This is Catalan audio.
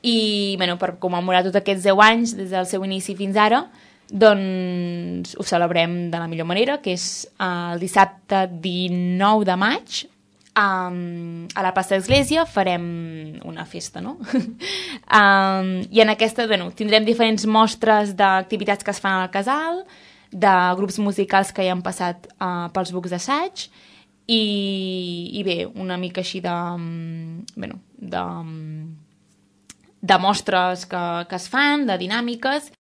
I per commemorar tots aquests 10 anys des del seu inici fins ara, doncs ho celebrem de la millor manera, que és el dissabte 19 de maig. A la plaça d'Església farem una festa, no? I en aquesta tindrem diferents mostres d'activitats que es fan al casal, de grups musicals que hi han passat pels bucs d'assaig, i bé, una mica així de mostres que es fan, de dinàmiques.